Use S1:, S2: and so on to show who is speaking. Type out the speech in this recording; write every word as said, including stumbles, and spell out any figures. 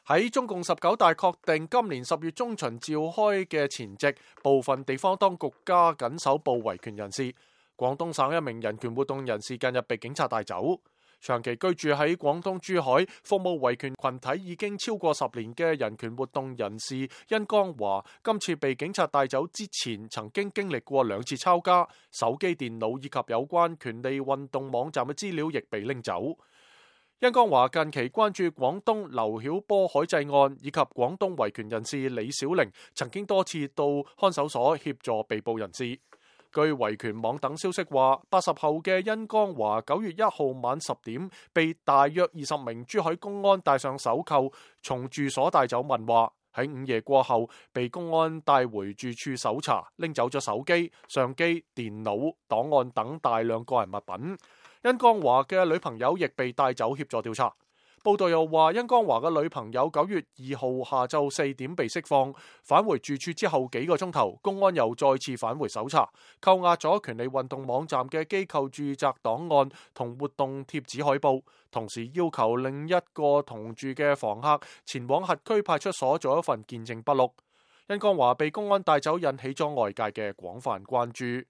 S1: 喺中共十九大確定今年十月中旬召開嘅前夕，部分地方當局加緊搜捕維權人士。廣東省一名人權活動人士近日被警察帶走。長期居住喺廣東珠海、服務維權群體已經超過十年嘅人權活動人士殷江華，今次被警察帶走之前，曾經經歷過兩次抄家，手機、電腦以及有關權利運動網站嘅資料亦被拎走。殷江華近期關注廣東劉曉波海祭案，以及廣東維權人士李小玲曾經多次到看守所協助被捕人士。據維權網等消息話，八十後嘅殷江華九月一號晚十點被大約二十名珠海公安戴上手銬，從住所帶走問話。喺午夜過後，被公安帶回住處搜查，拎走咗手機、相機、電腦、檔案等大量個人物品。殷江華嘅女朋友亦被帶走協助調查。報道又話，殷江華嘅女朋友九月二號下晝四點被釋放，返回住處之後幾個鐘頭，公安又再次返回搜查，扣押咗權利運動網站嘅機構住宅檔案同活動貼紙海報，同時要求另一個同住嘅房客前往轄區派出所做一份見證筆錄。殷江華被公安帶走，引起咗外界嘅廣泛關注。